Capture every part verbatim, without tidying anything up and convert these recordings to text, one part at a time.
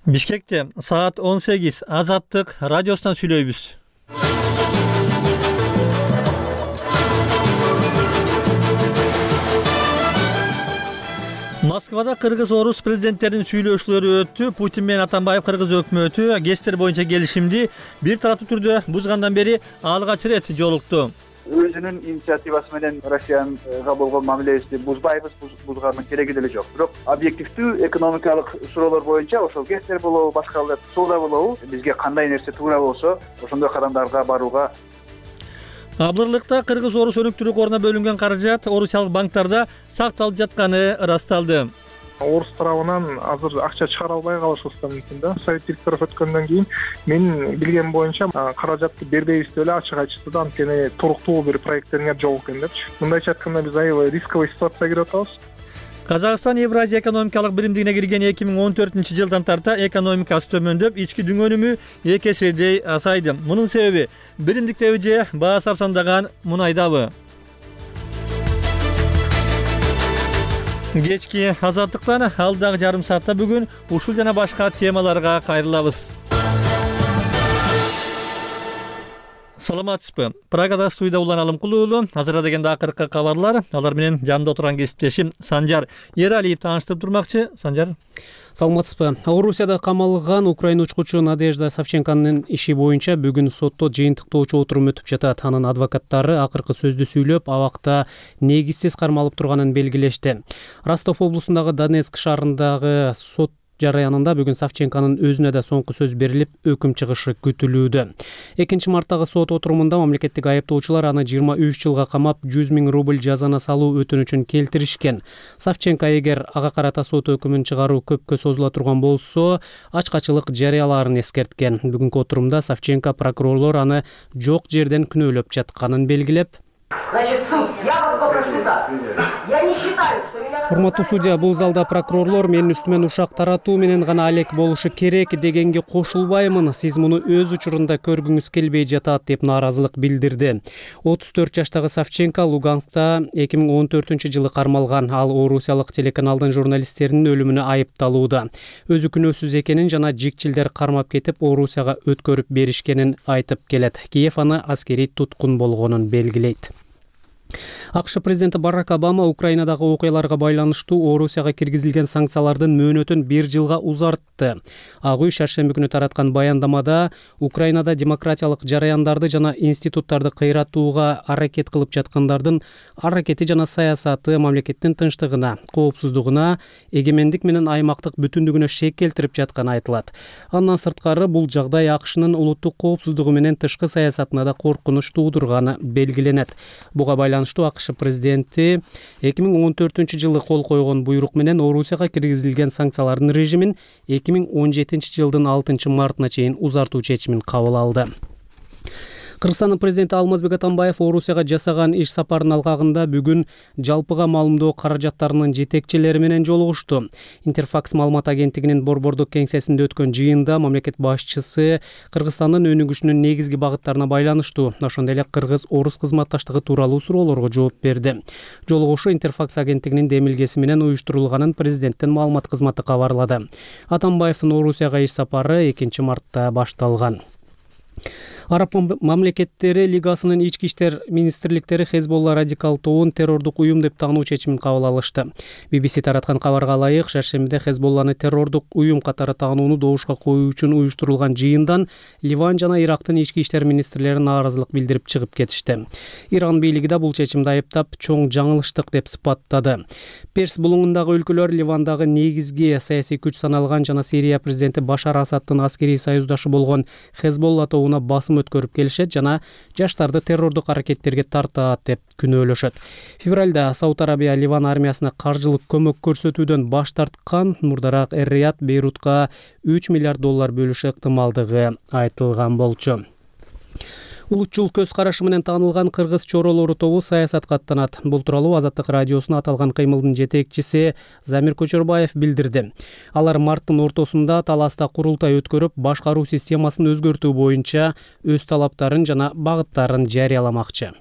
Бишкекте саат он сегиз Азаттык радиосунан сүйлөйбүз. Москвада кыргыз-орус президенттеринин сүйлөшүүлөрү өттү. Путин менен Атамбаев кыргыз өкмөтү ГЭСтер боюнча келишимди бир тараптуу түрдө бузгандан бери алгач ирет жолукту. Өзүнүн инициативасы менен Россияга болгон мамилебизди бузбайбыз, бузганын кереги деле жок. Бирок объективдүү экономикалык суроолор боюнча ошол ГЭСтер болобу, башка соода болобу, бизге кандай нерсе туура болсо, ошондой кадамдарга барууга. Абдырлыкта кыргыз-орус өнүктүрүү коруна бөлүнгөн каражат орусиялык банктарда сакталып жатканы ырасталды. Орус тарабынан азыр акча чыгара албай калышыбыз да мүмкүн да. Совет директоров өткөндөн кийин мен билгем боюнча каражатты бербейбиз деп эле ачык айтышты да, анткени туруктуу бир проекттериңер жок экен депчи. Мындайча айтканда биз аябай рисковый ситуацияга кирип атабыз. Казакстан Евразия экономикалык биримдигине кирген эки миң он төртүнчү жылдан тарта экономикасы төмөндөп, ички дүң өнүмү эки эседей азайды. Мунун себеби биримдиктеби же баасы арзандаган мунайдабы? Кечки Азаттыктан алдагы жарым саатта бүгүн ушул жана башка темаларга кайрылабыз. Саламатсызбы? Прагада студияда Улан Алымкул уулу. Азыр дегенде акыркы кабарлар. Алар менен жанында отурган кесиптешим Санжар Ералиев тааныштырып турмакчы. Санжар. Саламатсызбы? Орусияда камалган Украина учкучу Надежда Савченконун иши боюнча бүгүн сотто жыйынтыктоочу отурум өтүп жатат. Анын адвокаттары акыркы сөздү сүйлөп, абакта негизсиз кармалып турганын белгилешти. Ростов облусундагы Донецк шаарындагы сот жараянында бүгүн Савченконун өзүнө да соңку сөз берилип, өкүм чыгышы күтүлүүдө. экинчи марттагы сот отурумунда мамлекеттик айыптоочулар аны жыйырма үч жылга камап, жүз миң рубль жазана салуу өтүнүчүн келтиришкен. Савченко эгер ага карата сот өкүмүн чыгаруу көпкө созула турган болсо, ачкачылык жарыялаарын эскерткен. Бүгүнкү отурумда Савченко прокурорлор аны жок жерден күнөөлөп жатканын белгилеп, Значит, суд, я вас попрошу так. Я не считаю, что меня... Урматтуу судья, бул залда прокурорлор менин үстүмөн ушак таратуу менен гана алек болушу керек дегенге кошулбаймын. Сиз муну өз учурунда көргүңүз келбей жатат деп нааразылык билдирди. отуз төрт жаштагы Савченко Луганскта эки миң он төртүнчү жылы кармалган. Ал орусиялык телеканалдын журналисттеринин өлүмүнө айыпталууда. Өзү күнөөсүз экенин жана жикчилдер кармап кетип, Орусияга өткөрүп беришкенин айтып келет. Киев аны аскерий туткун болгонун белгилейт. АКШ президенти Барак Обама Украинадагы окуяларга байланыштуу Орусияга киргизилген санкциялардын мөөнөтүн бир жылга узартты. Ак үй шаршемби күнү тараткан баяндамада Украинада демократиялык жараяндарды жана институттарды кыйратууга аракет кылып жаткандардын аракети жана саясаты мамлекеттин тынчтыгына, коопсуздугуна, эгемендик менен аймактык бүтүндүгүнө шек келтирип жатканы айтылат. Андан сырткары бул жагдай АКШнын улуттук коопсуздугу менен тышкы саясатына да коркунуч туудурганы белгиленет. Буга байланыштуу АКШ президенти эки миң он төртүнчү жылы кол койгон буйрук менен Орусияга киргизилген санкциялардын режимин эки миң он жетинчи жылдын алтынчы мартына чейин узартуу чечимин кабыл алды. Кыргызстандын президенти Алмазбек Атамбаев Орусияга жасаган иш сапарынын алкагында бүгүн жалпыга маалымдоо каражаттарынын жетекчилери менен жолугушту. Интерфакс маалымат агенттигинин борбордук кеңсесинде өткөн жыйында мамлекет башчысы Кыргызстандын өнүгүшүнүн негизги багыттарына байланыштуу, ошондой эле кыргыз-орус кызматташтыгы тууралуу суроолорго жооп берди. Жолугушуу Интерфакс агенттигинин демилгеси менен уюштурулганын президенттин маалымат кызматы кабарлады. Атамбаевдин Орусияга иш сапары экинчи мартта башталган. Араб мамлекеттери Лигасынын ички иштер министрликтери Хезболла радикал тобун террордук уюм деп таануу чечимин кабыл алышты. би би си тараткан кабарга ылайык, шаршембиде Хезболланы террордук уюм катары таанууну добушка коюу үчүн уюштурулган жыйындан Ливан жана Ирактын ички иштер министрлери нааразылык билдирип чыгып кетишти. Иран бийлиги да бул чечимди айыптап, чоң жаңылыштык деп сыпаттады. Перс булуңундагы өлкөлөр Ливандагы негизги саясий күч саналган жана Сирия президенти Башар Асадтын аскерий союздашы болгон Хезболла тобуна басым өткөрүп келишет жана жаштарды террордук аракеттерге тартат деп күнөөлөшөт. Февралда Сауд Арабия Ливан армиясына каржылык көмөк көрсөтүүдөн баш тарткан. Мурдараак Эр-Рияд Бейрутка үч миллиард доллар бөлүшү ыктымалдыгы айтылган болчу. Улутчул көз карашы менен таанылган кыргыз чоролору тобу саясатка аттанат. Бул тууралуу Азаттык радиосуна аталган кыймылдын жетекчиси Замир Көчөрбаев билдирди. Алар марттын ортосунда Таласта курултай өткөрүп, башкаруу системасын өзгөртүү боюнча өз талаптарын жана багыттарын жарыяламакчы.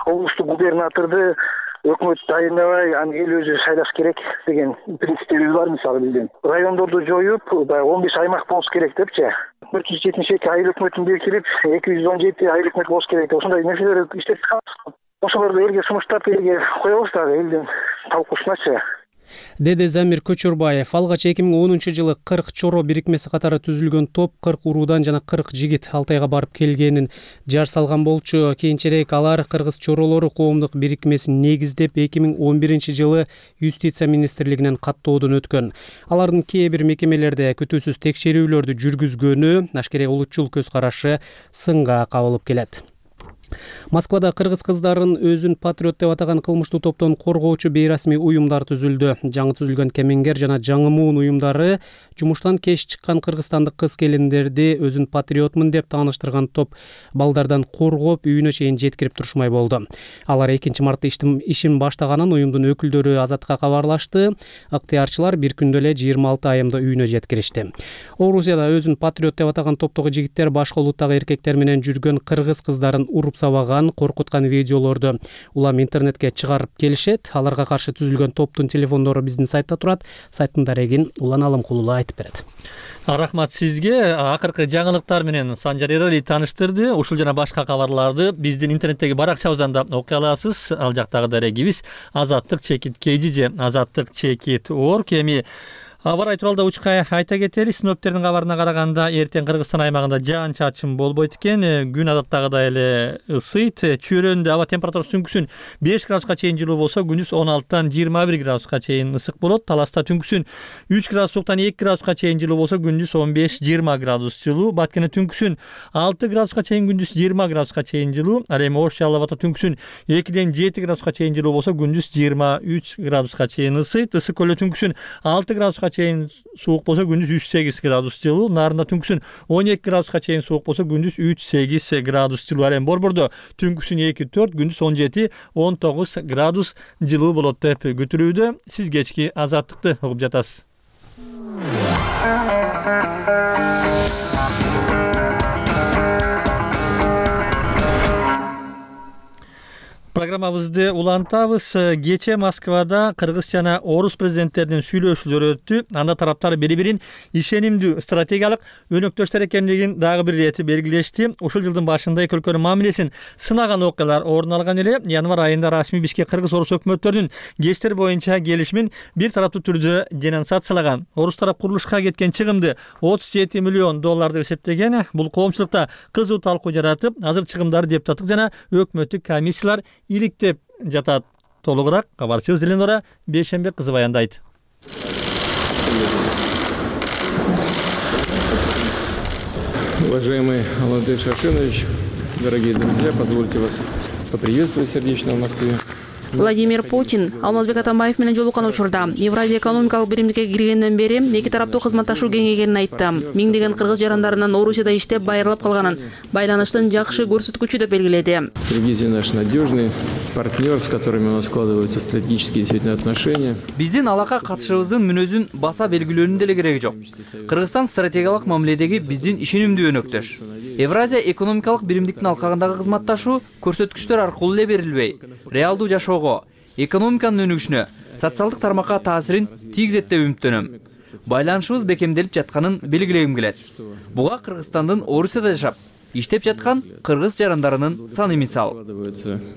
Облустук губернаторду өкмөт дайындабай аны эл өзү шайлаш керек деген принциптерибиз бар. Мисалы биздин райондорду жоюп, баягы он беш аймак болуш керек депчи. төрт жүз жетимиш эки айыл өкмөтүн белгилеп, эки жүз он жети айыл өкмөт болуш керек деп ошондой нерселер иштеп чыгабыз. Ошолорду элге сунуштап элге коебуз дагы, элдин талкуусуначы. Деди Замир Көчөрбаев. Алгач эки миң онунчу жылы кырк чоро бирикмеси катары түзүлгөн топ кырк уруудан жана кырк жигит Алтайга барып келгенин жар салган болчу. Кийинчерээк алар Кыргыз чоролору коомдук бирикмесин негиздеп эки миң он биринчи жылы Юстиция министрлигинен каттоодон өткөн. Алардын кээ бир мекемелерде күтүүсүз текшерүүлөрдү жүргүзгөнү ашкере улутчул көз карашы сынга кабылып келет. Москвада кыргыз кыздарын өзүн патриот деп атаган кылмыштуу топтон коргоочу бейрасмий уюмдар түзүлдү. Жаңы түзүлгөн Кемеңгер жана Жаңы Муун уюмдары жумуштан кеч чыккан кыргызстандык кыз келиндерди өзүн патриотмун деп тааныштырган топ балдардан коргоп, үйүнө чейин жеткирип турушмай болду. Алар экинчи мартта ишин баштаганын уюмдун өкүлдөрү Азатка кабарлашты. Ыктыярчылар бир күндө эле жыйырма алты айымда үйүнө жеткиришти. Орусияда өзүн патриот деп атаган топтогу жигиттер башка улуттагы эркектер менен жүргөн кыргыз кыздарын уруп сабаган, коркуткан видеолорду улам интернетке чыгарып келишет. Аларга каршы түзүлгөн топтун телефондору биздин сайтта турат. Сайттын дарегин Улан Алымкулуу айтып берет. Рахмат сизге. Акыркы жаңылыктар менен Санжар Эрали тааныштырды. Ушул жана башка кабарларды биздин интернеттеги баракчабыздан да окуй аласыз. Ал жактагы дарегибиз азаттык чекит kg же азаттык чекит орг. Эми аба ырайы тууралуу учка айта кетели. Синоптиктердин кабарына караганда эртең Кыргызстан аймагында жаан-чачын болбойт экен. Күн адаттагыдай эле ысыйт. Чөйрөндө аба температурасы түнкүсүн беш градуска чейин жылуу болсо, күндүз он алтыдан жыйырма бир градуска чейин ысык болот. Таласта түнкүсүн үч градус сууктан эки градуска чейин жылуу болсо, күндүз он беш жыйырма градус жылуу. Баткене түнкүсүн алты градуска чейин, күндүз жыйырма градуска чейин жылуу. Ал эми Ош Жалал абадта түнкүсүн экиден жети градуска чейин жылуу болсо, күндүз жыйырма үч градуска чейин ысыйт. Ысык көлдө түнкүсүн алты градуска чейин суук болсо, күндүз үч сегиз градус жылуу. Нарында түнкүсүн он эки градуска чейин суук болсо, күндүз үч сегиз градус жылуу. Ал эми Борбордо түнкүсүн эки төрт, күндүз он жети он тогуз градус жылуу болот деп күтүлүүдө. Сиз кечки азаттыкты угуп жатасыз. Программабызды улантабыз. Кече Москвада кыргыз жана орус президенттеринин сүйлөшүүлөрү өттү. Анда тараптар бири-бирин ишенимдүү стратегиялык өнөктөштөр экендигин дагы бир рети белгилешти. Ушул жылдын башында эки өлкөнүн мамилесин сынаган окуялар орун алган эле. Январь айында расмий Бишкек кыргыз орус өкмөттөрүнүн кечтер боюнча келишимин бир тараптуу түрдө денонсациялаган. Орус тарап курулушка кеткен чыгымды отуз жети миллион доллар деп эсептеген. Бул коомчулукта кызуу талкуу жаратып, азыр чыгымдарды депутаттык жана өкмөттүк комиссиялар иликтеп жатат. Толугураак кабарчыбыз Эленора Бейшембек кызы баяндайт. Уважаемый Владимир Шашинович, дорогие друзья, позвольте вас поприветствовать сердечно в Москве. Владимир Путин Алмазбек Атамбаев менен жолуккан учурда Евразия экономикалык биримдикке киргенден бери эки тараптуу кызматташуу кеңейгенин айтты. Миңдеген кыргыз жарандарынын Орусияда иштеп байырылып калганын байланыштын жакшы көрсөткүчү деп белгиледи. Киргизия наш надежный партнер, с которыми у нас складываются стратегические действительно отношения. Биздин алака катышыбыздын мүнөзүн баса белгилөөнүн деле кереги жок. Кыргызстан стратегиялык мамиледеги биздин ишенимдүү өнөктөш. Евразия экономикалык биримдиктин алкагындагы кызматташуу көрсөткүчтөр аркылуу эле берилбей, реалдуу жашоого, экономиканын өнүгүшүнө, социалдык тармакка таасирин тийгизет деп үмүттөнөм. Байланышыбыз бекемделип жатканын белгилегим келет. Буга Кыргызстандын Орусияда жашап иштеп жаткан кыргыз жарандарынын саны мисал.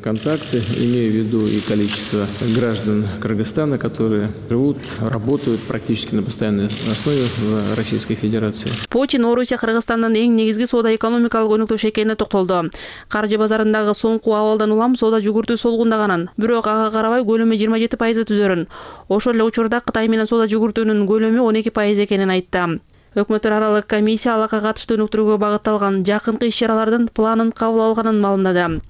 Контакты, имею в виду и количество граждан Кыргызстана, которые живут, работают практически на постоянной основе в Российской Федерации. Путин Орусия Кыргызстандын эң негизги соода экономикалык өнөктөш экенине токтолду. Каржы базарындагы соңку абалдан улам соода жүгүртүү солгундаганын, бирок ага карабай көлөмү жыйырма жети пайызды түзөрүн. Ошол эле учурда Кытай менен соода жүгүртүүнүн көлөмү он эки пайыз экенин айтты. Өкмөттөр аралык комиссия алака катыштуу өнүктүрүүгө багытталган жакынкы иш-чаралардын планын кабыл алганын маалымдады.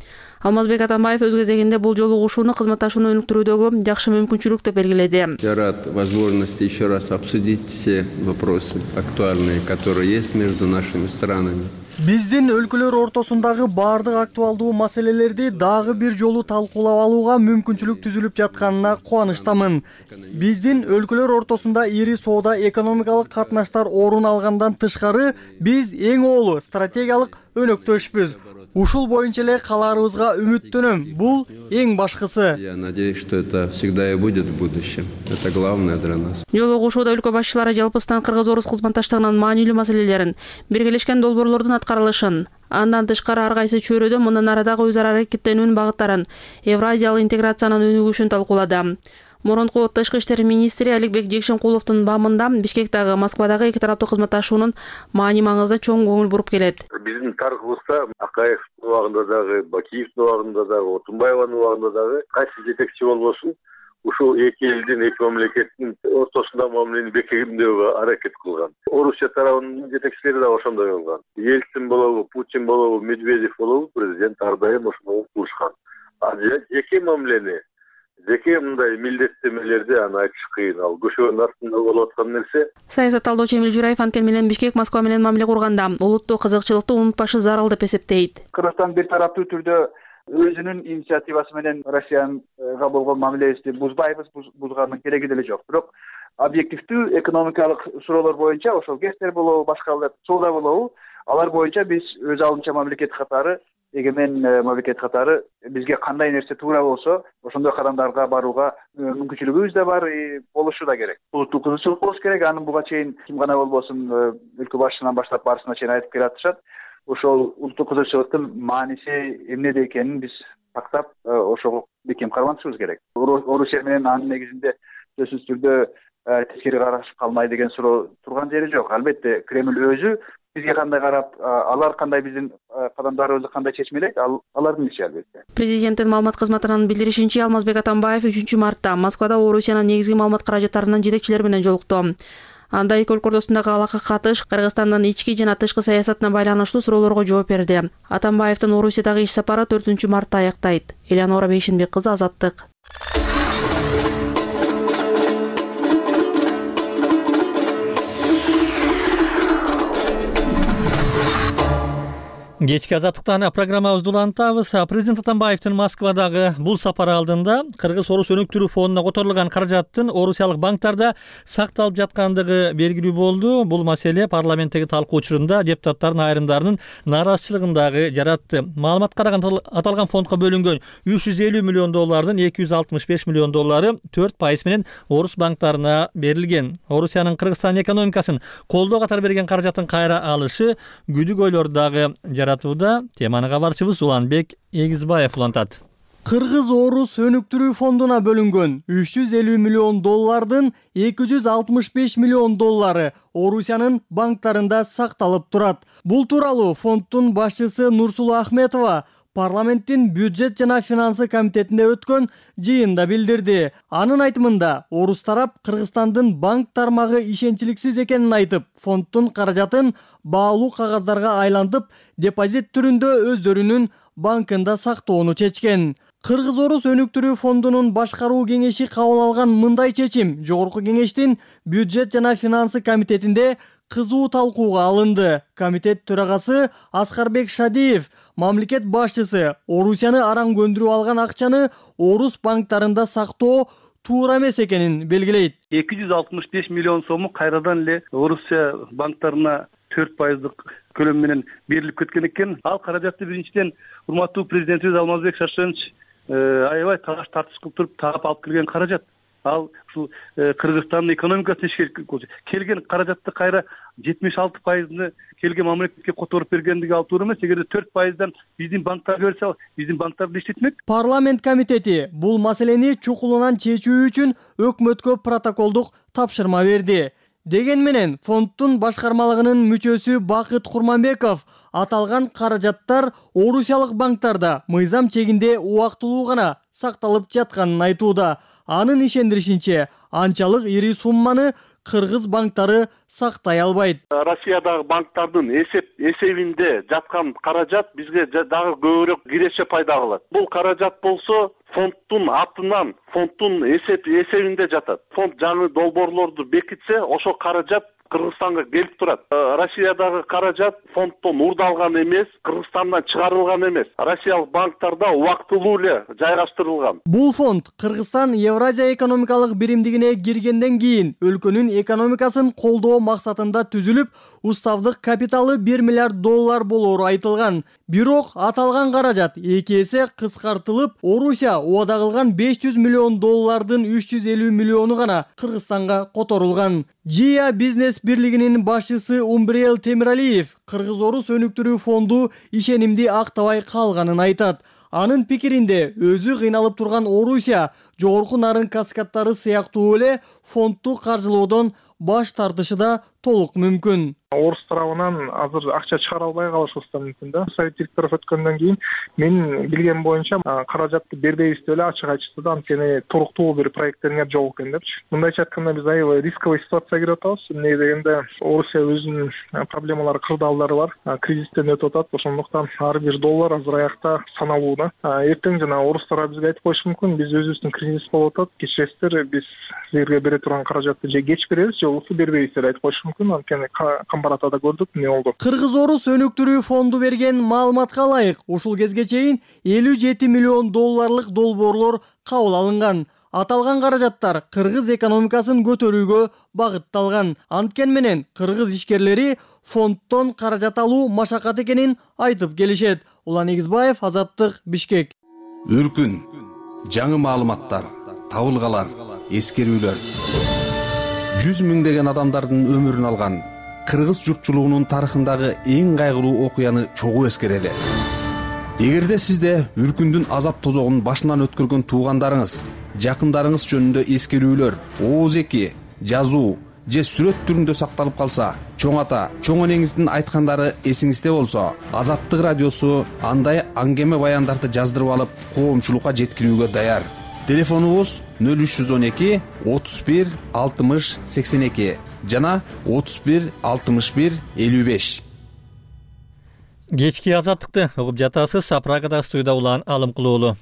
Алмазбек Атамбаев өз кезегинде бул жолугушууну кызматташууну өнүктүрүүдөгү жакшы мүмкүнчүлүк деп белгиледи. Я рад возможности еще раз обсудить все вопросы актуальные, которые есть между нашими странами. Биздин өлкөлөр ортосундагы бардык актуалдуу маселелерди дагы бир жолу талкуулап алууга мүмкүнчүлүк түзүлүп жатканына кубанычтамын. Биздин өлкөлөр ортосунда ири соода экономикалык катнаштар орун алгандан тышкары биз эң оолу стратегиялык өнөктөшпүз. Ушул боюнча эле калаарыбызга үмүттөнөм. Бул эң башкысы. Я надеюсь, что это всегда и будет в будущем. Это главное для нас. Жолугушууда өлкө башчылары жалпыстан кыргыз-орус кызматташтыгынын маанилүү маселелерин, биргелешкен долбоорлордун аткарылышын, андан тышкары ар кайсы чөйрөдө мындан арадагы өз ара аракеттенүүнүн багыттарын, евразиялык интеграциянын өнүгүшүн талкуулады. Мурунку тышкы иштер министри Аликбек Жекшенкуловдун баамында Бишкектагы, Москвадагы эки тараптуу кызматташуунун маани маңызына чоң көңүл буруп келет. Биздин тарыхыбызда Акаевдин убагында дагы, Бакиевдин убагында дагы, Отунбаеванын убагында дагы кайсы жетекчи болбосун ушул эки элдин, эки мамлекеттин ортосунда мамилени бекемдөөгө аракет кылган. Орусия тарабынын жетекчилери да ошондой болгон. Ельцин болобу, Путин болобу, Медведев болобу, президент ар дайым ошону кылышкан. А жеке мамилени, жеке мындай милдеттемелерди аны айтыш кыйын. Ал көшөнүн артында болуп аткан нерсе. Саясат талдоочу Эмил Жураев анткени менен Бишкек Москва менен мамиле курганда улуттук кызыкчылыкты унутпашы зарыл деп эсептейт. Кыргызстан бир тараптуу түрдө өзүнүн инициативасы менен Россиянга болгон мамилебизди бузбайбыз, бузганын кереги деле жок. Бирок объективдүү экономикалык суроолор боюнча, ошол гестер болобу, башка соода болобу, алар боюнча биз өз алдынча мамлекет катары, эгемен мамлекет катары бизге кандай нерсе туура болсо, ошондой кадамдарга барууга мүмкүнчүлүгүбүз да бар, болушу да керек. Улуттук кызыкчылык болуш керек. Аны буга чейин ким гана болбосун өлкө башчысынан баштап барысына чейин айтып келатышат. Ошол улуттук кызыкчылыктын мааниси эмнеде экенин биз тактап, ошого бекем карманышыбыз керек. Орусия менен анын негизинде сөзсүз түрдө тескери караш калмай деген суроо турган жери жок. Албетте Кремль өзү бизге кандай карап, алар кандай биздин кадамдарыбызды кандай чечмелейт, ал алардын иши албетте. Президенттин маалымат кызматынын билдиришинче, Алмазбек Атамбаев үчүнчү мартта Москвада Орусиянын негизги маалымат каражаттарынын жетекчилери менен жолукту. Анда эки өлкө ортосундагы алакка катыш, Кыргызстандын ички жана тышкы саясатына байланыштуу суроолорго жооп берди. Атамбаевдин Орусиядагы иш сапары төртүнчү мартта аяктайт. Элеонора Бейшенбек кызы, Азаттык. Кечки Азаттыктан программабызды улантабыз. Президент Атамбаевдин Москвадагы бул сапары алдында Кыргыз-Орус өнүктүрүү фондуна которулган каражаттын орусиялык банктарда сакталып жаткандыгы белгилүү болду. Бул маселе парламенттеги талкуу учурунда депутаттардын айрымдарынын нааразычылыгын дагы жаратты. Маалымат караган аталган фондко бөлүнгөн үч жүз элүү миллион доллардын эки жүз алтымыш беш миллион доллары төрт пайыз менен орус банктарына берилген. Орусиянын Кыргызстан экономикасын колдоо катары берген каражаттын кайра алышы күдүгөйлөр дагы жаратууда. Теманы кабарчыбыз Уланбек Эгизбаев улантат. Кыргыз-Орус өнүктүрүү фондуна бөлүнгөн үч жүз элүү миллион доллардын эки жүз алтымыш беш миллион доллары Орусиянын банктарында сакталып турат. Бул тууралуу фонддун башчысы Нурсулу Ахметова парламенттин бюджет жана финансы комитетинде өткөн жыйында билдирди. Анын айтымында, орус тарап Кыргызстандын банк тармагы ишенчиликсиз экенин айтып, фонддун каражатын баалуу кагаздарга айлантып, депозит түрүндө өздөрүнүн банкында сактоону чечкен. Кыргыз-Орус өнүктүрүү фондунун башкаруу кеңеши кабыл алган мындай чечим жогорку кеңештин бюджет жана финансы комитетинде кызуу талкууга алынды. Комитет төрагасы Аскарбек Шадиев мамлекет башчысы Орусияны араң көндүрүп алган акчаны орус банктарында сактоо туура эмес экенин белгилейт. эки жүз алтымыш беш миллион сому кайрадан эле Орусия банктарына төрт пайыздык көлөм менен берилип кеткен экен. Ал каражатты биринчиден урматтуу президентибиз Алмазбек Шаршенович аябай талаш тартыш кылып туруп таап алып келген каражат. Ал ушул Кыргызстандын экономикасына келген каражатты кайра жетимиш алты пайызны келген мамлекетке которуп бергендиги ал туура эмес. Эгерде төрт пайыздан биздин банктарга берсе, биздин банктарды иштетмек. Парламент комитети бул маселени чукулунан чечүү үчүн өкмөткө протоколдук тапшырма берди. Деген менен фонддун башкармалыгынын мүчөсү Бакыт Курманбеков аталган каражаттар орусиялык банктарда мыйзам чегинде убактылуу гана сакталып жатканын айтууда. Анын ишендиришинче, анчалык ири сумманы кыргыз банктары сактай албайт. Россиядагы банктардын эсеп эсебинде жаткан каражат бизге дагы көбүрөөк киреше пайда кылат. Бул каражат болсо фонддун атынан, фонддун эсеп эсебинде жатат. Фонд жаңы долбоорлорду бекитсе, ошо каражат Кыргызстанга келип турат. Россиядагы каражат фонддон уурдалган эмес, Кыргызстандан чыгарылган эмес. Россиялык банктарда убактылуу эле жайгаштырылган. Бул фонд Кыргызстан Евразия экономикалык биримдигине киргенден кийин өлкөнүн экономикасын колдоо максатында түзүлүп, уставдык капиталы бир миллиард доллар болоору айтылган. Бирок аталган каражат эки эсе кыскартылып, Орусия убада кылган беш жүз миллион доллардын үч жүз элүү миллиону гана Кыргызстанга которулган. Жия бизнес бирлигинин башчысы Умбриел Темиралиев Кыргыз-Орус өнүктүрүү фонду ишенимди актабай калганын айтат. Анын пикиринде өзү кыйналып турган Орусия жогорку нарын каскадтары сыяктуу эле фондду каржылоодон баш тартышы да толук мүмкүн. Орус тарабынан азыр акча чыгара албай калышы да мүмкүн да. Совет директору өткөндөн кийин мен билгем боюнча каражатты бербейбиз деп эле ачык айтышты да, анткени туруктуу бир проекттериңер жок экен депчи. Мындайча айтканда биз аябай рисковый ситуацияга кирип атабыз. Эмне дегенде Орусия өзүнүн проблемалары, кырдаалдары бар, кризистен өтүп атат. Ошондуктан ар бир доллар азыр аякта саналуу да. Эртең жана орустар бизге айтып коюшу мүмкүн, биз өзүбүздүн кризис болуп атат, кечиресиздер, биз силерге бере турган каражатты же кеч беребиз, же болбосо бербейбиз деп айтып коюшу мүмкүн. Анткени Камбаратада көрдүк эмне болду. Кыргыз-Орус өнүктүрүү фонду берген маалыматка ылайык, ушул кезге чейин элүү жети миллион долларлык долбоорлор кабыл алынган. Аталган каражаттар кыргыз экономикасын көтөрүүгө багытталган. Анткени менен кыргыз ишкерлери фонддон каражат алуу машакат экенин айтып келишет. Улан Эгизбаев, Азаттык, Бишкек. Үркүн, жаңы маалыматтар, табылгалар, эскерүүлөр. жүз миңдеген адамдардын өмүрүн алган кыргыз журтчулугунун тарыхындагы эң кайгылуу окуяны чогуу эскерели. Эгерде сизде Үркүндүн азап тозогун башынан өткөргөн туугандарыңыз, жакындарыңыз жөнүндө эскерүүлөр, ооз эки, жазуу же сүрөт түрүндө сакталып калса, чоң ата, чоң энеңиздин айткандары эсиңизде болсо, Азаттык радиосу андай аңгеме баяндарды жаздырып алып, коомчулукка жеткирүүгө даяр. Телефонубуз нөл үч жүз он эки отуз бир алтымыш сексен эки жана отуз бир алтымыш бир элүү беш. Кечки Азаттыкты угуп жатасыз. Прагада студияда Улан Алымкулуулу.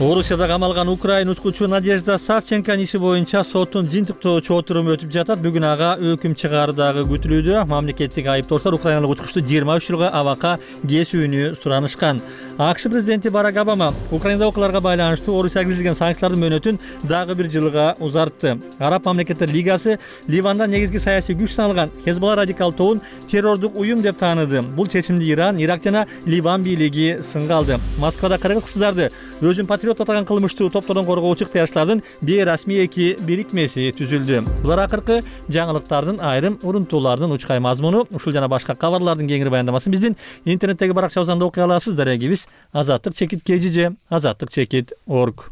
Орусияда камалган Украин укучу Надежда Савченконун иши боюнча соттун жыйынтыктоочу отуруму өтүп жатат. Бүгүн ага өкүм чыгаардагы күтүлүүдө. Мамлекеттик айыптоочулар украиналык учкучту жыйырма үч жылга абакка кесүүнү суранышкан. АКШ президенти Барак Обама Украинада окуяларга байланыштуу Орусияга киргизилген санкциялардын мөөнөтүн дагы бир жылга узартты. Араб мамлекеттер лигасы Ливанда негизги саясий күч саналган Хезболла радикал тобун террордук уюм деп тааныды. Бул чечимди Иран, Ирак жана Ливан бийлиги сынга алды. Москвада кыргыз кыздарды өзүн патриот атаган кылмыштуу топтордон коргоочу ыктыярчылардын бейрасмий эки бирикмеси түзүлдү. Булар акыркы жаңылыктардын айрым урунтуулардын учкай мазмуну. Ушул жана башка кабарлардын кеңири баяндамасын биздин интернеттеги баракчабыздан окуй аласыз. Дарегибиз азаттык чекит кежиже азаттык чекит орг.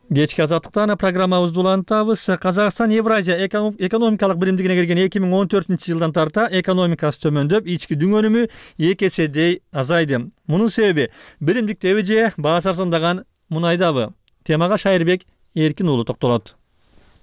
Кечки азаттыктан программабызды улантабыз. Казакстан Евразия экономикалык биримдигине кирген эки миң он төртүнчү жылдан тарта экономикасы төмөндөп, ички дүң өнүмү эки эседей азайды. Мунун себеби биримдиктеби же баасы арзандаган мунайдабы? Темага Шайырбек Эркин уулу токтолот.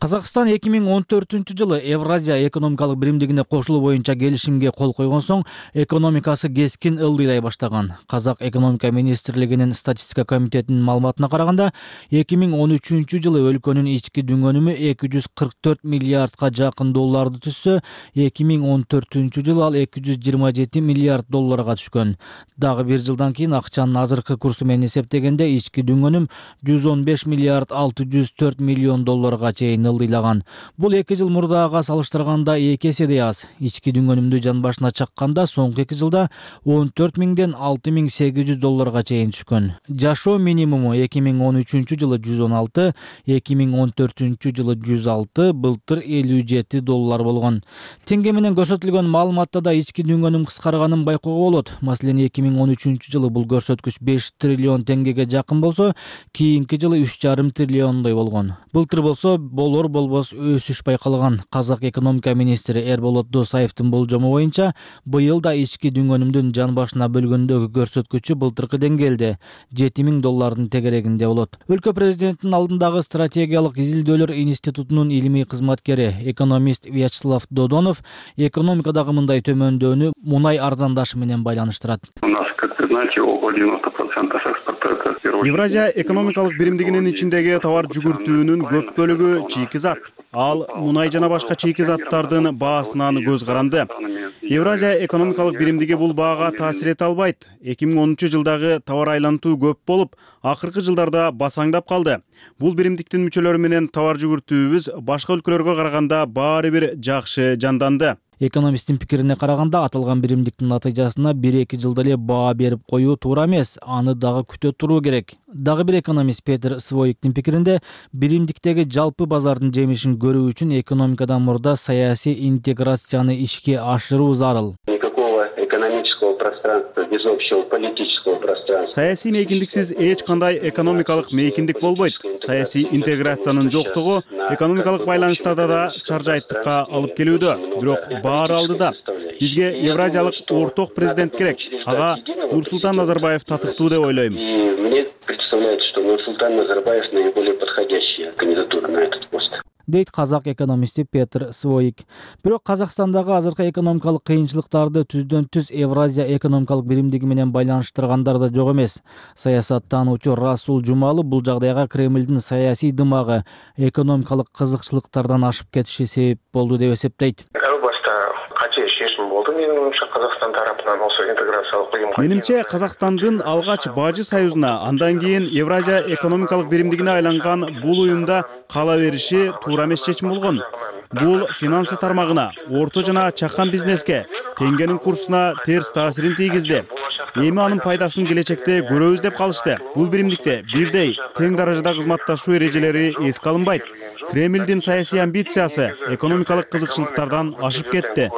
Казакстан эки миң он төртүнчү жылы Евразия экономикалык биримдигине кошулуу боюнча келишимге кол койгон соң экономикасы кескин ылдыйлай баштаган. Казак экономика министрлигинин статистика комитетинин маалыматына караганда, эки миң он үчүнчү жылы өлкөнүн ички дүң өнүмү эки жүз кырк төрт миллиардка жакын долларды түзсө, эки миң он төртүнчү жылы ал эки жүз жыйырма жети миллиард долларга түшкөн. Дагы бир жылдан кийин акчанын азыркы курсу менен эсептегенде ички дүң өнүм жүз он беш миллиард алты жүз төрт миллион долларга чейин ылдыйлаган. Бул эки жыл мурдага салыштырганда эки эседей аз. Ички дүң өнүмдү жан башына чакканда соңку эки жылда он төрт миңден алты миң сегиз жүз долларга чейин түшкөн. Жашоо минимуму эки миң он үчүнчү жылы жүз он алты, эки миң он төртүнчү жылы жүз алты, былтыр элүү жети доллар болгон. Теңге менен көрсөтүлгөн маалыматта да ички дүң өнүм кыскарганын байкоого болот. Маселен, эки миң он үчүнчү жылы бул көрсөткүч беш триллион теңгеге жакын болсо, кийинки жылы үч жарым триллиондой болгон. Былтыр болсо болор болбос өсүш байкалган. Казак экономика министри Эрболот Досаевдин болжому боюнча, быйыл да ички дүң өнүмдүн жан башына бөлгөндөгү көрсөткүчү былтыркы деңгээлде жети миң доллардын тегерегинде болот. Өлкө президентинин алдындагы стратегиялык изилдөөлөр институтунун илимий кызматкери, экономист Вячеслав Додонов экономикадагы мындай төмөндөөнү мунай арзандашы менен байланыштырат. У нас, как вы знаете, около девяноста процентов экспорта это Евразия экономикалык биримдигинин ичиндеги товар жүгүртүүнүн көп бөлүгү чийки зат. Ал мунай жана башка чийки заттардын баасынан көз каранды. Евразия экономикалык биримдиги бул баага таасир эте албайт. эки миң онунчу жылдагы товар айлантуу көп болуп, акыркы жылдарда басаңдап калды. Бул биримдиктин мүчөлөрү менен товар жүгүртүүбүз башка өлкөлөргө караганда баары бир жакшы жанданды. Экономисттин пикирине караганда, аталган биримдиктин натыйжасына бир эки жылда эле баа берип коюу туура эмес, аны дагы күтө туруу керек. Дагы бир экономист Петр Своиктин пикиринде, биримдиктеги жалпы базардын жемишин көрүү үчүн экономикадан мурда саясий интеграцияны ишке ашыруу зарыл. Никакого экономического пространства без общего политического пространства. Саясий мейкиндиксиз эч кандай экономикалык мейкиндик болбойт. Саясий интеграциянын жоктугу экономикалык байланыштарда да чаржайттыкка алып келүүдө. Бирок баары алдыда. Бизге евразиялык орток президент керек. Ага Нурсултан Назарбаев татыктуу деп ойлойм. Мне представляется, что Нурсултан Назарбаев наиболее подходящая кандидатура на этот пост. Дейт казак экономисти Петр Своик. Бирок Казакстандагы азыркы экономикалык кыйынчылыктарды түздөн түз Евразия экономикалык биримдиги менен байланыштыргандар да жок эмес. Саясаттануучу Расул Жумалы бул жагдайга Кремлдин саясий дымагы экономикалык кызыкчылыктардан ашып кетиши себеп болду деп эсептейт. Казакстан тарапынан осы интеграциялык уюмга. Менимче, Казакстандын алгач Бажы союзуна, андан кийин Евразия экономикалык биримдигине айланган бул уюмда кала бериши туура эмес чечим болгон. Бул финансы тармагына, орто жана чакан бизнеске, теңгенин курсуна терс таасирин тийгизди. Эми анын пайдасын келечекте көрөбүз деп калышты. Бул биримдикте бирдей тең даражада кызматташуу эрежелери эске алынбайт. Кремлдин саясий амбициясы экономикалык кызыкчылыктардан ашып кетти.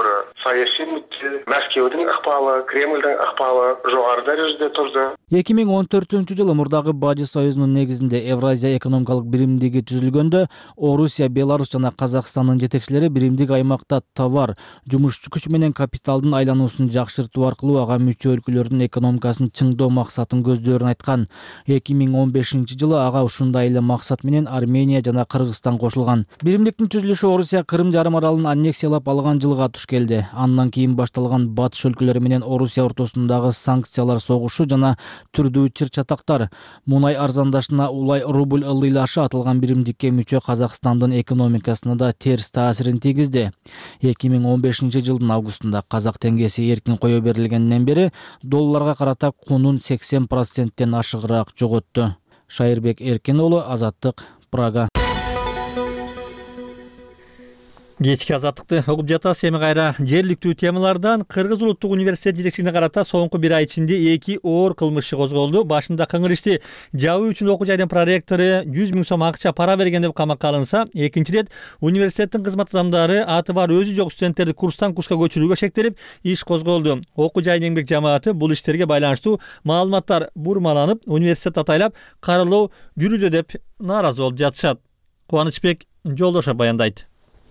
Саясий мүдде, Мәскеудин акпалы, Кремлдин акпалы жогору дарежеде турду. эки миң он төртүнчү жылы мурдагы Бажы союзунун негизинде Евразия экономикалык биримдиги түзүлгөндө, Орусия, Беларусь жана Казакстандын жетекчилери биримдик аймакта товар, жумуш күч менен капиталдын айлануусун жакшыртуу аркылуу ага мүчө өлкөлөрдүн экономикасын чыңдоо максатын көздөрүн айткан. эки миң он бешинчи жылы ага ушундай эле максат менен Армения жана Кыргызстан кошулган. Биримдиктин түзүлүшү Орусия Кырым жарым аралын аннексиялап алган жылга туш келди. Андан кийин башталган батыш өлкөлөрү менен Орусия ортосундагы санкциялар согушу жана түрдүү чыр-чатактар мунай арзандашына улай рубль ылдыйлашы аталган биримдикке мүчө Казакстандын экономикасына да терс таасирин тийгизди. эки миң он бешинчи жылдын августунда казак теңгеси эркин кое берилгенден бери долларга карата кунун сексен проценттен ашыгыраак жоготту. Шайырбек Эркин уулу, Азаттык, Прага. Кечки азаттыкты угуп жатасыз. Эми кайра жергиликтүү темалардан Кыргыз улуттук университет жетекчилигине карата соңку бир ай ичинде эки оор кылмыш козголду. Башында кыңыр ишти жабуу үчүн окуу жайдын проректору жүз миң сом акча пара берген деп камакка алынса, экинчи ирет университеттин кызмат адамдары аты бар өзү жок студенттерди курстан курска көчүрүүгө шектелип, иш козголду. Окуу жайдын эмгек жамааты бул иштерге байланыштуу маалыматтар бурмаланып, университет атайлап каралоо жүрүүдө деп нааразы болуп жатышат. Кубанычбек Жолдошов баяндайт.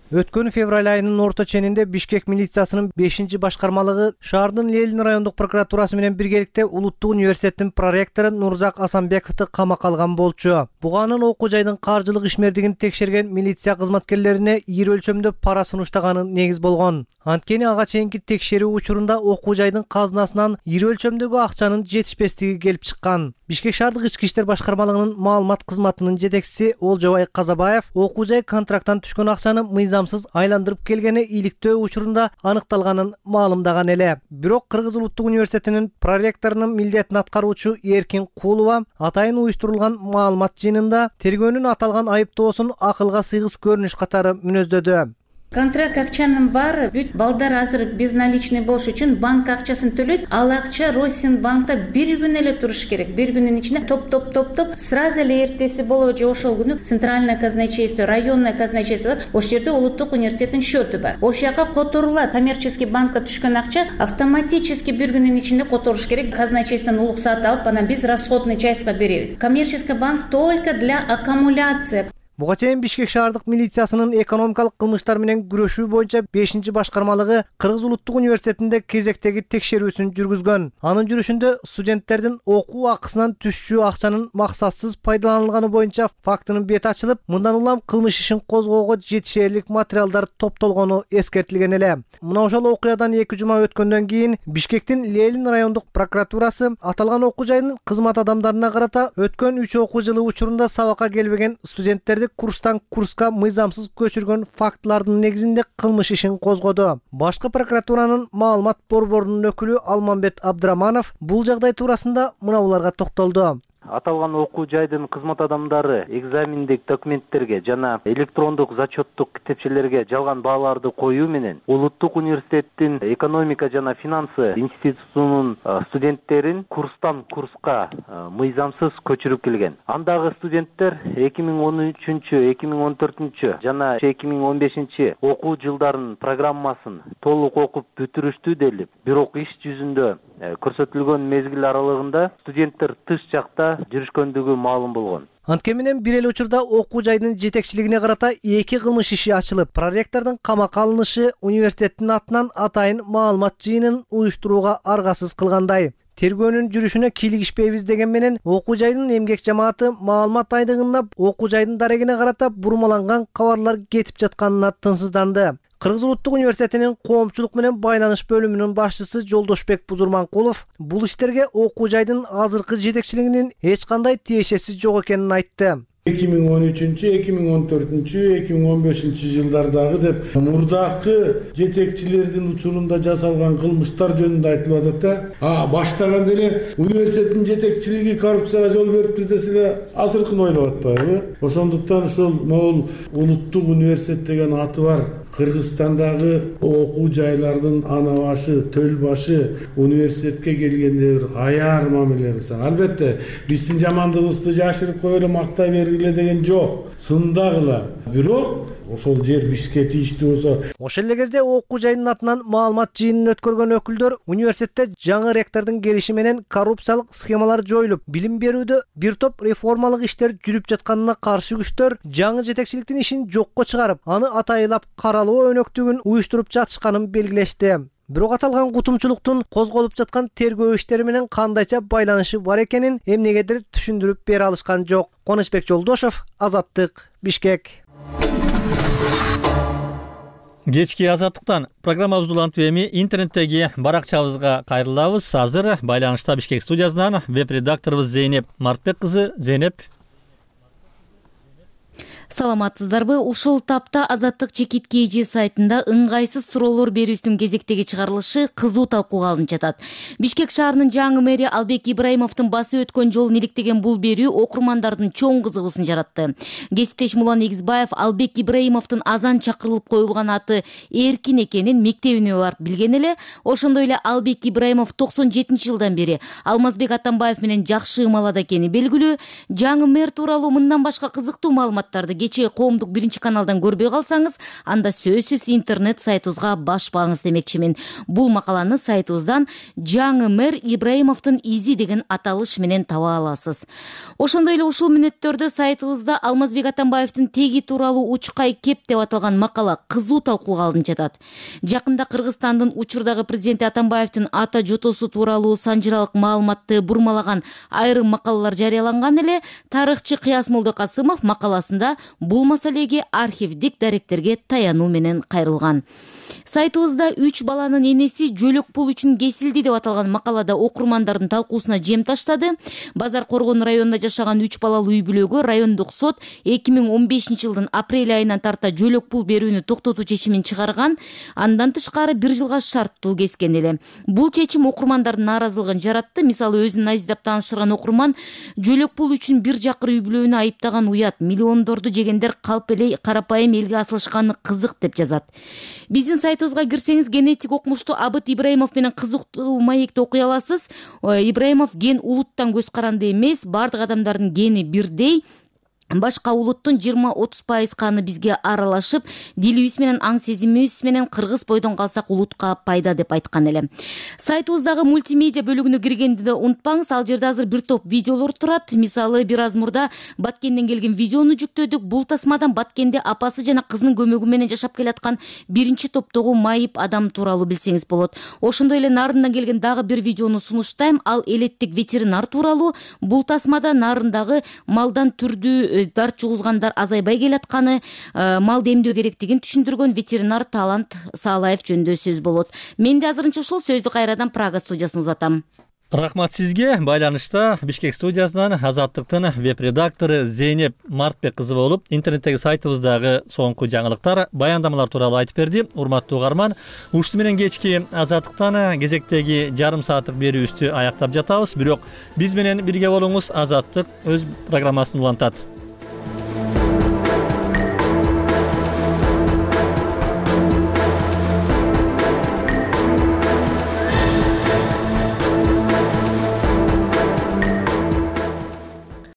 Өткөн февраль айынын орто ченинде Бишкек милициясынын бешинчи башкармалыгы шаардын Лелин райондук прокуратурасы менен биргеликте Улуттук университеттин проректору Нурзак Асанбековду камакка алган болчу. Буганын окуу жайдын каржылык ишмердигин текшерген милиция кызматкерлерине ири өлчөмдө пара сунуштаганы негиз болгон. Анткени ага чейинки текшерүү учурунда окуу жайдын казынасынан ири өлчөмдөгү акчанын жетишпестиги келип чыккан. Бишкек шаардык ички иштер башкармалыгынын маалымат кызматынын жетекчиси Олжобай Казабаев окуу жай контракттан түшкөн акчаны мыйзамсыз айландырып келгени иликтөө учурунда аныкталганын маалымдаган эле. Бирок Кыргыз улуттук университетинин проректорунун милдетин аткаруучу Эркин Куулова атайын уюштурулган маалымат жыйынында тергөөнүн аталган айыптоосун акылга сыйгыс көрүнүш катары мүнөздөдү. Контракт акчанын баары бүт балдар азыр безналичный болуш үчүн банк акчасын төлөйт. Ал акча Россинбанкта бир күн эле туруш керек. Бир күнүн ичинде топ-топ топ-топ сразу эле эртеси болобу же ошол күнү центральное казначейство, районное казначейство бар. Ошол жерде улуттук университеттин счету бар. Ошол жака которулат. Коммерческий банкка түшкөн акча автоматически бир күнүн ичинде которуш керек. Казначействодон уруксат алып, анан биз расходный частька беребиз. Коммерческий банк только для аккумуляции. Буга чейин Бишкек шаардык милициясынын экономикалык кылмыштар менен күрөшүү боюнча бешинчи башкармалыгы Кыргыз улуттук университетинде кезектеги текшерүүсүн жүргүзгөн. Анын жүрүшүндө студенттердин окуу акысынан түшчү акчанын максатсыз пайдаланылганы боюнча фактынын бети ачылып, мындан улам кылмыш ишин козгоого жетишерлик материалдар топтолгону эскертилген эле. Мына ошол окуядан эки жума өткөндөн кийин Бишкектин Ленин райондук прокуратурасы аталган окуу жайдын кызмат адамдарына карата өткөн үч окуу жылы учурунда сабакка келбеген студенттерди курстан курска мыйзамсыз көчүргөн фактылардын негизинде кылмыш ишин козгоду. Башкы прокуратуранын маалымат борборунун өкүлү Алмамбет Абдыраманов бул жагдай туурасында мына буларга токтолду. Аталган окуу жайдын кызмат адамдары экзамендик документтерге жана электрондук зачеттук китепчелерге жалган бааларды коюу менен Улуттук университеттин экономика жана финансы институтунун студенттерин курстан курска мыйзамсыз көчүрүп келген. Андагы студенттер эки миң он үчүнчү эки миң он төртүнчү жана эки миң он бешинчи окуу жылдарынын программасын толук окуп бүтүрүштү делип, бирок иш жүзүндө көрсөтүлгөн мезгил аралыгында студенттер тыш жакта жүрүшкөндүгү маалым болгон. Анткени менен бир эле учурда окуу жайдын жетекчилигине карата эки кылмыш иши ачылып, проректордун камакка алынышы университеттин атынан атайын маалымат жыйынын уюштурууга аргасыз кылгандай. Тергөөнүн жүрүшүнө кийлигишпейбиз деген менен окуу жайдын эмгек жамааты маалымат айдыгына окуу жайдын дарегине карата бурмаланган кабарлар кетип жатканына тынсызданды. Кыргыз улуттук университетинин коомчулук менен байланыш бөлүмүнүн башчысы Жолдошбек Бузурманкулов бул иштерге окуу жайдын азыркы жетекчилигинин эч кандай тиешеси жок экенин айтты. эки миң он үчүнчү эки миң он төртүнчү эки миң он бешинчи жылдардагы деп мурдакы жетекчилердин учурунда жасалган кылмыштар жөнүндө айтылып атат да. А баштаганда эле университеттин жетекчилиги коррупцияга жол бериптир десе эле азыркын ойлоп атпайбы? Ошондуктан ушул могул Улуттук университет деген аты бар Кыргызстандагы окуу жайлардын ана башы, төл башы университетке келгенде бир аяр мамиле кылсаң. Албетте, биздин жамандыгыбызды жашырып кое эле мактай бергиле деген жок. Сындагыла. Бирок ошол жер бизге тийиштүү болсо. Ошол эле кезде окуу жайдын атынан маалымат жыйынын өткөргөн өкүлдөр университетте жаңы ректордун келиши менен коррупциялык схемалар жоюлуп, билим берүүдө бир топ реформалык иштер жүрүп жатканына каршы күчтөр жаңы жетекчиликтин ишин жокко чыгарып, аны атайылап каралоо өнөктүгүн уюштуруп жатышканын белгилешти. Бирок аталган кутумчулуктун козголуп жаткан тергөө иштери менен кандайча байланышы бар экенин эмнегедир түшүндүрүп бере алышкан жок. Коночбек Жолдошов, Азаттык, Бишкек. Кечки Азаттыктан программабызды улантып эми интернеттеги баракчабызга кайрылабыз. Азыр байланышта Бишкек студиясынан веб-редакторубуз Зейнеп Мартбек кызы. Зейнеп. Саламатсыздарбы? Ушул тапта Азаттык чекит kg сайтында ыңгайсыз суроолор берүүсүнүн кезектеги чыгарылышы кызуу талкууга алынып жатат. Бишкек шаарынын жаңы мэри Албек Ибраимовдун басып өткөн жолун иликтеген бул берүү окурмандардын чоң кызыгуусун жаратты. Кесиптеш Мулан Эгизбаев Албек Ибраимовдун азан чакырылып коюлган аты эркин экенин мектебине барып билген эле. Ошондой эле Албек Ибраимов токсон жетинчи жылдан бери Алмазбек Атамбаев менен жакшы ымалада экени белгилүү. Жаңы мэр тууралуу мындан башка кызыктуу маалыматтарды кечээ коомдук биринчи каналдан көрбөй калсаңыз, анда сөзсүз интернет сайтыбызга баш багыңыз демекчимин. Бул макаланы сайтыбыздан жаңы мэр Ибраимовдун изи деген аталыш менен таба аласыз. Ошондой эле ушул мүнөттөрдө сайтыбызда Алмазбек Атамбаевдин теги тууралуу учкай кеп деп аталган макала кызуу талкууга алынып жатат. Жакында Кыргызстандын учурдагы президенти Атамбаевдин ата жотосу тууралуу санжыралык маалыматты бурмалаган айрым макалалар жарыяланган эле. Тарыхчы Кыяс Молдокасымов макаласында бул маселеге архивдик даректерге таянуу менен кайрылган. Сайтыбызда үч баланын энеси жөлөк пул үчүн кесилди деп аталган макалада окурмандардын талкуусуна жем таштады. Базар Коргон районунда жашаган үч балалуу үй бүлөгө райондук сот эки миң он бешинчи жылдын апрель айынан тарта жөлөк пул берүүнү токтотуу чечимин чыгарган. Андан тышкары бир жылга шарттуу кескен эле. Бул чечим окурмандардын нааразылыгын жаратты. Мисалы, өзүн айздап тааныштырган окурман жөлөк пул үчүн бир жакыр үй бүлөнү айыптаган уят, миллиондорду жегендер калп эле карапайым элге асылышканы кызык деп жазат. Биздин сайтыбызга кирсеңиз генетик окумуштуу Абыт Ибраимов менен кызыктуу маекти окуй аласыз. Ибраимов ген улуттан көз каранды эмес, бардык адамдардын гени бирдей. башка улуттун жыйырма отуз пайыз каны бизге аралашып, дилибиз менен аң сезимибиз менен кыргыз бойдон калсак улутка пайда деп айткан эле. Сайтыбыздагы мультимедиа бөлүгүнө киргенди да унутпаңыз, ал жерде азыр бир топ видеолор турат. Мисалы, бир аз мурда Баткенден келген видеону жүктөдүк. Бул тасмадан Баткенде апасы жана кызынын көмөгү менен жашап келаткан биринчи топтогу майып адам тууралуу билсеңиз болот. Ошондой эле Нарындан келген дагы бир видеону сунуштайм. Ал элеттик ветеринар тууралуу. Бул тасмада Нарындагы малдан түрдүү дарт жугузгандар азайбай келатканы, малды эмдөө керектигин түшүндүргөн ветеринар Талант Саалаев жөнүндө сөз болот. Мен де азырынча ушул сөздү кайрадан Прага студиясына узатам. Рахмат сизге. Байланышта Бишкек студиясынан Азаттыктын веб-редактору Зейнеп Мартбек кызы болуп, интернеттеги сайтыбыздагы соңку жаңылыктар, баяндамалар тууралуу айтып берди. Урматтуу угарман, ушуну менен кечки Азаттыктан кезектеги жарым сааттык берүүбүздү аяктап жатабыз. Бирок биз менен бирге болуңуз. Азаттык өз программасын улантат.